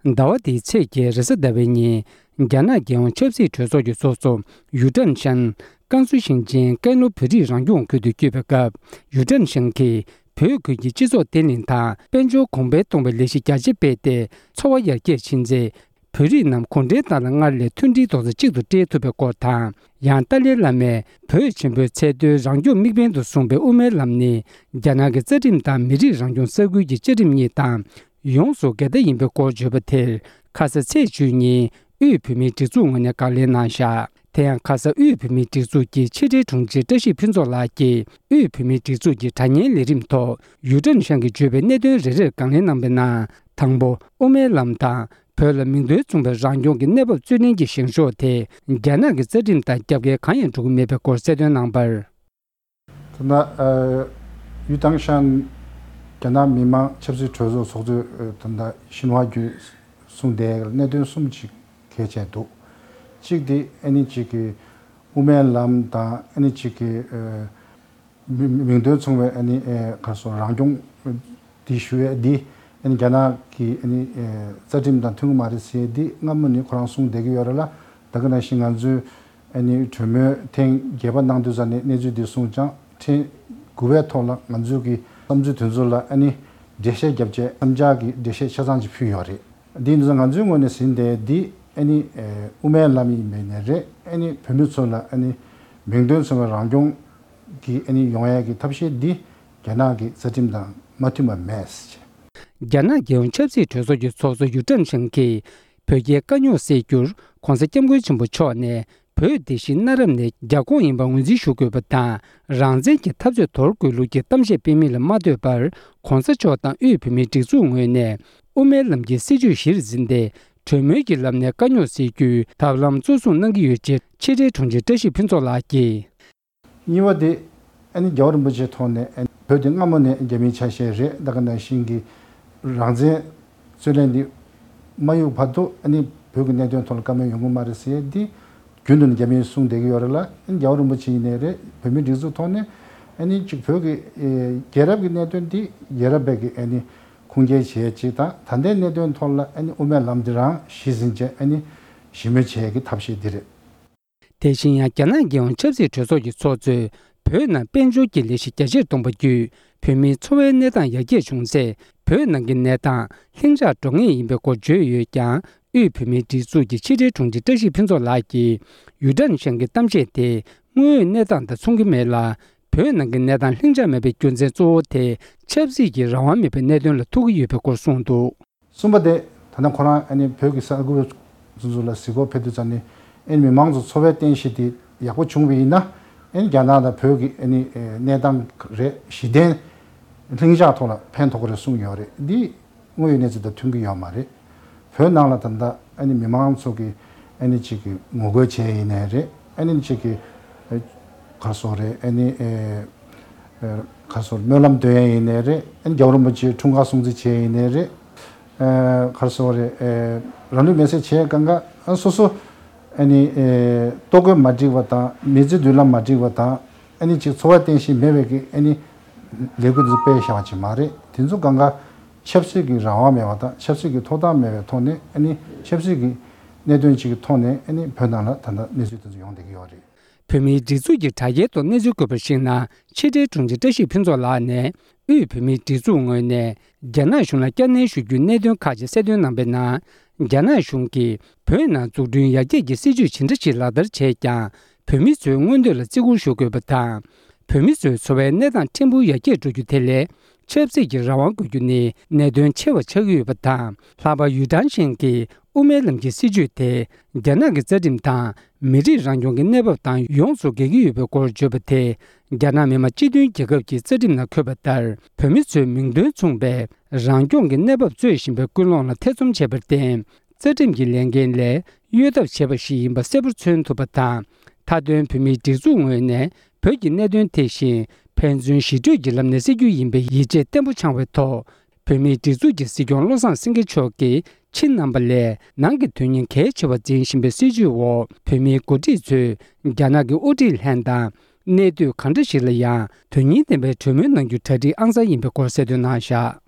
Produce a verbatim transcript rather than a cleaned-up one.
ཟླ་བ་འདིའི་ཚེས་བརྒྱད་རེས་གཟའ་ཟླ་བའི་ཉིན། རྒྱ་ནག་རྒྱལ་ཡོངས་ཆབ་སྲིད་གྲོས་ཚོགས་ཀྱི་ཚོགས་གཙོ་ཡུ་ཀྲན་ཤན་ཀན་སུའུ་ཞིང་ཆེན་ཀན་ལྷོ་བོད་རིགས་རང་སྐྱོང་ཁུལ་དུ་བསྐྱོད་པའི་སྐབས། ཡུ་ཀྲན་ཤན་གྱིས་བོད་ཁུལ་གྱི་སྤྱི་ཚོགས་བརྟན་ལྷིང་དང་དཔལ་འབྱོར་གོང་འཕེལ་གཏོང་བའི་ལས་གཞི་རྒྱ་ཆེ་སྤེལ་ཏེ། འཚོ་བ་ཡར་རྒྱས་ཕྱིན་ཚེ། བོད་རིགས་རྣམས་གུང་ཁྲན་ཏང་དང་སྔར་ལས་མཐུན་སྒྲིལ་རྡོག་རྩ་གཅིག་ཏུ་སྦྲེལ་ཐུབ་པའི་སྐོར་དང་། ཡང་ཏཱ་ལའི་བླ་མས་བོད་ཆེན་པོའི་ཚད་མཐོའི་རང་སྐྱོང་དམིགས་འབེན་དུ་བཟུང་བའི་དབུ་མའི་ལམ་ནི། རྒྱ་ནག་གི་རྩ་ཁྲིམས་དང་མི་རིགས་རང་སྐྱོང་ས་ཁུལ་གྱི་བཅའ་ཁྲིམས་གཉིས་དང་ཡོངས་སུ་འགལ་ཟླ་ཡིན་པའི་སྐོར་བརྗོད་པ་དེར། ཁ་ས་ཚེས་བཅུ་ཉིན་དབུས་བོད་མིའི་སྒྲིག་འཛུགས་ངོས་ནས་དགག་ལན་གནང་བཞག་དེ་ཡང་ཁ་ས་དབུས་བོད་མིའི་སྒྲིག་འཛུགས་ཀྱི་ཕྱི་དྲིལ་དྲུང་ཆེ་བཀྲ་ཤིས་ཕུན་ཚོགས་ལགས་ཀྱིས། དབུས་བོད་མིའི་སྒྲིག་འཛུགས་ཀྱི་དྲ་བརྙན་ལས་རིམ་ཐོག་ཡུ་ཀྲན་ཤན་གྱིས་བརྗོད་པའི་གནད་དོན་རེ་རེར་དགག་ལན་གནང་བའི་ནང་། དང་པོ། དབུ་མའི་ལམ་དང་བོད་ལ་མིང་དོན་མཚུངས་པའི་རང་སྐྱོང་གི་གནས་བབ་རྩོད་ལེན་གྱི་བཞེངས་ཕྱོགས་དེ། རྒྱ་ནག་གི་རྩ་ཁྲིམས་དང་རྒྱབ་འགལ་གང་ཡང་འགྲོ་གི་མེད་པའི་སྐོར་གསལ་སྟོན་གནང་བར། ད་ལྟ་ཡུ་ཀྲན་ཤན་རྒྱ་ནག་མི་དམངས་ཆབ་སྲིད་གྲོས་ཚོགས་ཚོགས་གཙོས། ད་ལྟ་ཤིན་ཧྭ་བརྒྱུད་གསུངས་དེ་གནད་དོན་གསུམ་ཅིག་གལ་ཆེ་འདུག་གཅིག་དེ་ཨ་ནི་གཅིག་གི་དབུ་མའི་ལམ་དང་ཨ་ནི་གཅིག་གི་མི་མིང་དོན་མཚུངས་པའི་ཨ་ནི་ག་རེ་ཟེར་རང་སྐྱོང་འདི་ཞུ་ཡས་འདི་ཨ་ནི་རྒྱ་ནག་གི་ཨ་ནི་རྩ་ཁྲིམས་དང་མཐུན་གྱི་མ་རེད་ཟེར་འདི་སྔ་མོ་ནས་ཁོ་རང་གསུངས་བསྡད་ཀྱི་ཡོད་རེད་ལ། ད་ག་ནང་བཞིན་ང་ཚོས་ཨ་ནི་གྲོས་མོལ་ཐེངས་བརྒྱད་པ་གནང་དུས་ཙམ་ནས་གནས་ཚུལ་འདི་གསུངས་ཀྱང་ཐེངས་དགུ་པའི་ཐོག་ལ་ང་ཚོས་ཀྱི་བསམ་ཚུལ་དེ་ཚོ་ལ་ཨ་ནི་འགྲེལ་བཤད་བརྒྱབ་བྱས་མཚམས་སྦྱར་གྱི་འགྲེལ་བཤད་ཆ་ཚང་ཅིག་ཕུལ་ཡོད་རེད། འདི་ཡིན་དུས་ང་ཚོའི་ངོས་ནས་ཟིན་ཏེ་འདི་ཨ་ནི་དབུ་མའི་ལམ་ཡིན་པའི་ནས་རེད། ཨ་ནི་བོད་མི་ཚོ་ལ་ཨ་ནི་མིང་དོན་མཚུངས་པའི་རང་སྐྱོང་གི་ཨ་ནི་ཡོང་ཡས་ཀྱི་ཐབས་ཤེས་འདི་རྒྱ་ནག་གི་རྩ་ཁྲིམས་དང་མ་མཐུན་པ་མེད། རྒྱ་ནག་རྒྱལ་ཡོངས་ཆབ་སྲིད་གྲོས་ཚོགས་ཀྱི་ཚོགས་གཙོ་ཡུ་ཀྲན་ཧྲེང་གིས་བོད་རྒྱའི་དཀའ་རྙོག་སེལ་རྒྱུར་༧གོང་ས་༧སྐྱབས་མགོན་ཆེན་པོ་མཆོག་ནས་བོད་དེ་བཞིན་གནའ་རབས་ནས་རྒྱ་ཁོངས་ཡིན་པ་ངོས་འཛིན་ཞུ་དགོས་པ་དང་། རང་བཙན་གྱི་འཐབ་རྩོད་དོར་དགོས་ལུགས་ཀྱི་གཏམ་བཤད་སྤེལ་མིན་ལ་མ་ལྟོས་པར། ༧གོང་ས་མཆོག་དང་དབུས་བོད་མིའི་སྒྲིག་འཛུགས་ངོས་ནས་དབུ་མའི་ལམ་གྱི་སྲིད་བྱུས་གཞིར་འཛིན་ཏེ། གྲོས་མོལ་གྱི་ལམ་ནས་དཀའ་རྙོག་སེལ་རྒྱུའི་ཐབས་ལམ་གཙོ་བཟུང་གནང་གི་ཡོད་ཅེས་ཕྱི་དྲིལ་དྲུང་ཆེ་བཀྲ་ཤིས་ཕུན་ཚོགས་ལགས་ཀྱིས། གཉིས་པ་དེ་ཨ་ནི་རྒྱལ་བ་རིན་པོ་ཆེའི་ཐོག་ནས་ཨ་ནི་བོད་དེ་སྔ་མོ་ནས་རྒྱ་མིའི་ཆ་ཤས་རེད། ད་ག་ནང་བཞིན་གྱི་རང་བཙན་རྩོད་ལེན་འདི་མ་གཡུག་བར་དུ་ཨ་ནི་བོད་ཀྱི་གནད་དོན་ཐོག་ལ་བཀའ་མོལ་ཡོང་གི་མ་རེད་ཟེར་ཡས་འདི་རྒྱུན་དུ་ནས་རྒྱ་མིས་གསུངས་བསྡད་ཀྱི་ཡོད་རེད་ལ། ཨ་ནི་རྒྱལ་བ་རིན་པོ་ཆེ་ཡིན་ནའི་རེད། བོད་མིའི་སྒྲིག་འཛུགས་ཐོག་ནས་ཨ་ནི་གཅིག་བོད་ཀྱི་ཨེ་རྒྱལ་རབས་ཀྱི་གནད་དོན་འདི་རྒྱལ་རབས་པས་ཀྱི་ཨ་ནི་ཁུངས་སྐྱེལ་བྱེད་ཡས་གཅིག་དང་། ད་ལྟའི་གནད་དོན་ཐོག་ལ་ཨ་ནི་དབུ་མའི་ལམ་འདི་རང་གཞི་འཛིན་བྱས་ཨ་ནི་ཞི་མོལ་བྱེད་ཡས་ཀྱི་ཐབས་ཤེས་འདི་རེད། དེ་བཞིན་ཡང་རྒྱ་ནག་རྒྱལ་ཡོངས་ཆབ་སྲིད་གྲོས་ཚོགས་ཀྱི་ཚོགས་གཙོས་བོད་ནང་དཔལ་འབྱོར་གྱི་ལས་གཞི་རྒྱ་ཆེར་གཏོང་པ་བརྒྱུད་བོད་མིའི་འཚོ་བའི་གནས་སྟངས་ཡར་རྒྱས་བྱུང་ཚེ། བོད་ནང་གི་གནས་སྟངས་ལྷིང་འཇགས་འགྲོ་ངེས་ཡིན་པའི་སྐོར་བརྗོད་ཡོད་ཀྱང་། དབུས་བོད་མིའི་སྒྲིག་འཛུགས་ཀྱི་ཕྱི་དྲིལ་དྲུང་ཆེ་བཀྲ་ཤིས་ཕུན་ཚོགས་ལགས་ཀྱིས་ཡུ་ཀྲན་ཤན་གྱི་གཏམ་བཤད་དེ་དངོས་ཡོད་གནས་སྟངས་དང་མཚུངས་ཀྱི་མེད་ལ། བོད་ནང་གི་གནས་སྟངས་ལྷིང་འཇགས་མེད་པའི་རྒྱུ་མཚན་གཙོ་བོ་དེ་ཆབ་སྲིད་ཀྱི་རང་དབང་མེད་པའི་གནད་དོན་ལ་ཐུག་གི་ཡོད་པའི་སྐོར་གསུངས་འདུག། གསུམ་པ་དེ་ད་ལྟ་ཁོ་རང་ཨ་ནི་བོད་ཀྱི་ས་ཁུལ་སོ་སོ་ལ་གཟིགས་སྐོར་ཕེབས་དུས་ཙམ་ནས་ཨ་ནི་མི་མང་ཚོ་འཚོ་བའི་རྟེན་གཞི་དེ་ཡག་པོ་བྱུང་བ་ཡིན་ན། ཨ་ནི་རྒྱ་ནག་དང་བོད་ཀྱི་ཨ་ནི་གནས་སྟངས་རེད་གཞི་རྟེན་ལྷིང་འཇགས་ཐོག་ལ་ཕན་ཐོགས་ཀྱི་རེད་གསུངས་ཡོད་རེད། འདི་དངོས་ཡོད་གནས་ཚུལ་དང་མཐུན་གྱི་ཡོད་མ་རེད། བོད་ནང་ལ་ད་ལྟ་ཨ་ནི་མི་མང་ཚོ་གི་ཨ་ནི་གཅིག་གི་ངོ་རྒོལ་བྱས་ཡིན་ནའི་རེད། ཨ་ནི་གཅིག་གི་ཨ་ག་རེ་ཟེར་རེད། ཨ་ནི་ཨེ་ཨེ་ག་རེ་ཟེར་སྨོན་ལམ་འདོན་ཡ་ཡིན་ནའི་རེད། ཨ་ནི་རྒྱལ་བ་རིན་པོ་ཆེའི་འཁྲུངས་སྐར་སྲུང་བརྩི་བྱས་ཡིན་ནའི་རེད། ཨེ་ག་རེ་ཟེར་རེད། ཨེ་རང་ལུས་མེར་སྲེག་བྱས་གང་ག་ཨ་སོ་སོ་ཨ་ནི་ཨེ་ལྟོ་གོས་མ་འགྲིག་པ་དང་མི་ཚེ་མདུན་ལམ་མ་འགྲིག་པ་དང་། ཨ་ནི་གཅིག་འཚོ་བ་རྟེན་གཞི་མེད་པའི་གི་ཨ་ནི་ལས་འགུལ་དེ་ཚོ་སྤེལ་བཞག་པ་ཅིག་མ་རེད། དེ་ཚོ་གང་ག་ཆབ་སྲིད་ཀྱི་རང་དབང་མེད་པ་དང་ཆབ་སྲིད་ཀྱི་ཐོབ་ཐང་མེད་པའི་ཐོག་ནས། ཨ་ནི་ཆབ་སྲིད་ཀྱི་གནད་དོན་ཅིག་གི་ཐོག་ནས་ཨ་ནི་བོད་ནང་ལ་ད་ལྟ་གནས་ཚུལ་དེ་ཚོ་ཡོང་བསྡད་ཀྱི་ཡོད་རེད། བོད་མིའི་སྒྲིག་འཛུགས་ཀྱི་དྲ་རྒྱའི་ཐོག་གནས་ཚུལ་བཀོད་པར་གཞིགས་ན། ཕྱི་དྲིལ་དྲུང་ཆེ་བཀྲ་ཤིས་ཕུན་ཚོགས་ལགས་ནས་དབུས་བོད་མིའི་སྒྲིག་འཛུགས་ངོས་ནས་རྒྱ་ནག་གཞུང་ལ་བསྐྱར་ནན་ཞུ་རྒྱུའི་གནད་དོན་ཁག་ཅིག་གསལ་སྟོན་གནང་པའི་ནང་། རྒྱ་ནག་གཞུང་གིས་བོད་ནང་འཛུགས་སྐྲུན་ཡར་རྒྱས་ཀྱི་སྲིད་ཇུས་ཇི་འདྲ་ཞིག་ལག་བསྟར་བྱས་ཀྱང་། བོད་མི་ཚོའི་མངོན་འདོད་ལ་བརྩི་བཀུར་ཞུ་དགོས་པ་དང་། བོད་མི་ཚོའི་འཚོ་བའི་གནས་སྟངས་ཕྲན་བུ་ཡར་རྒྱས་འགྲོ་རྒྱུ་དེ་ལས། ཆབ་སྲིད་ཀྱི་རང་དབང་དགོས་རྒྱུ་ནི་གནད་དོན་ཆེ་བ་ཆགས་ཀྱི་ཡོད་པ་དང་། ལྷག་པར་ཡུས་ཀྲང་ཞན་གྱིས་དབུ་མའི་ལམ་གྱི་སྲིད་བྱུས་དེ། རྒྱ་ནག་གི་རྩ་ཁྲིམས་དང་མི་རིགས་རང་སྐྱོང་གི་གནས་བབ་དང་ཡོངས་སུ་འགལ་གྱི་ཡོད་པའི་སྐོར་བརྗོད་པ་དེ། རྒྱ་ནག་མི་དམངས་སྤྱི་མཐུན་རྒྱལ་ཁབ་ཀྱི་རྩ་ཁྲིམས་ནང་འཁོད་པ་ལྟར། བོད་མི་ཚོའི་མིང་དོན་མཚུངས་པའི་རང་སྐྱོང་གི་གནས་བབ་རྩོད་བཞིན་པའི་ཀུན་སློང་ལ་ཐེ་ཚོམ་བྱས་པར་བརྟེན། རྩ་ཁྲིམས་ཀྱི་ལས་འགན་ལས་གཡོལ་ཐབས་བྱས་པ་ཞིག་ཡིན་པ་གསལ་པོར་མཚོན་ཐུབ་པ་དང་། མཐའ་དོན་བོད་མིའི་སྒྲིག་འཛུགས་ངོས་ནས་བོད་ཀྱི་གནད་དོན་དེ་བཞིན་ཕན་ཚུན་ཞི་གྲོས་ཀྱི་ལམ་ནས་སེལ་རྒྱུ་ཡིན་པའི་ཡིད་ཆེས་བརྟན་པོ་འཆང་བའི་ཐོག་བོད་མིའི་སྒྲིག་འཛུགས་ཀྱི་སྲིད་སྐྱོང་བློ་བཟང་སེང་གེ་མཆོག་གིས་ཕྱི་རྣམ་པ་ལས་ནང་གི་དོན་སྙིང་གལ་ཆེ་བ་འཛིན་བཞིན་པའི་སྲིད་བྱུས་འོག་བོད་མིའི་འགོ་ཁྲིད་ཚོས་རྒྱ་ནག་གི་དབུ་ཁྲིད་ལྷན་དང་གནས་སྡོད་གང་འདྲ་ཞིག་ལ་ཡང་དོན་སྙིང་ལྡན་པའི་གྲོས་མོལ་གནང་རྒྱུ་གྲ་སྒྲིག་ཨང་གསར་ཡིན་པའི་སྐོར་གསལ་སྟོན་གནང་བཞག